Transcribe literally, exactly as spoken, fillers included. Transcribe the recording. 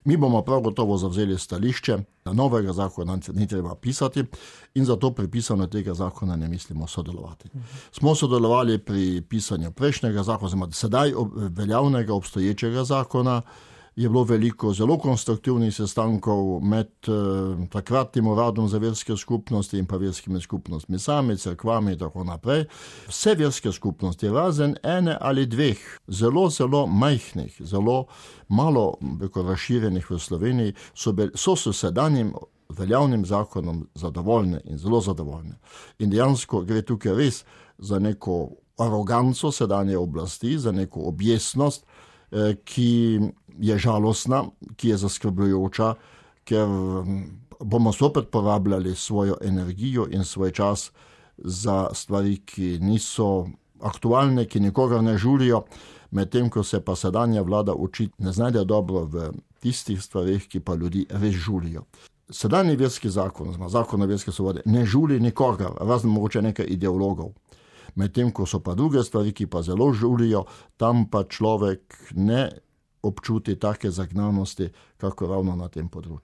Mi bomo prav gotovo zavzeli stališče, da novega zakona ni treba pisati in zato pri pisanju tega zakona ne mislimo sodelovati. Smo sodelovali pri pisanju prejšnjega zakona, sedaj veljavnega obstoječega zakona, je bilo veliko zelo konstruktivnih sestankov med eh, takratnim uradom za verske skupnosti in pa verskimi skupnostmi sami, cerkvami in tako naprej. Vse verske skupnosti, razen ene ali dveh, zelo, zelo majhnih, zelo malo razširjenih v Sloveniji, so, be, so s sedanjim veljavnim zakonom zadovoljne in zelo zadovoljne. In dejansko gre tukaj res za neko aroganco sedanje oblasti, za neko objesnost, eh, ki je žalostna, ki je zaskrbljujoča, ker bomo zopet porabljali svojo energijo in svoj čas za stvari, ki niso aktualne, ki nikogar ne žulijo, medtem ko se pa sedanja vlada očitno ne znajde dobro v tistih stvarih, ki pa ljudi res žulijo. Sedanji verski zakon, zakon o verski svobodi, ne žuli nikogar, razen mogoče nekaj ideologov. Medtem ko so pa druge stvari, ki pa zelo žulijo, tam pa človek ne občuti take zagnanosti, kako ravno na tem področju.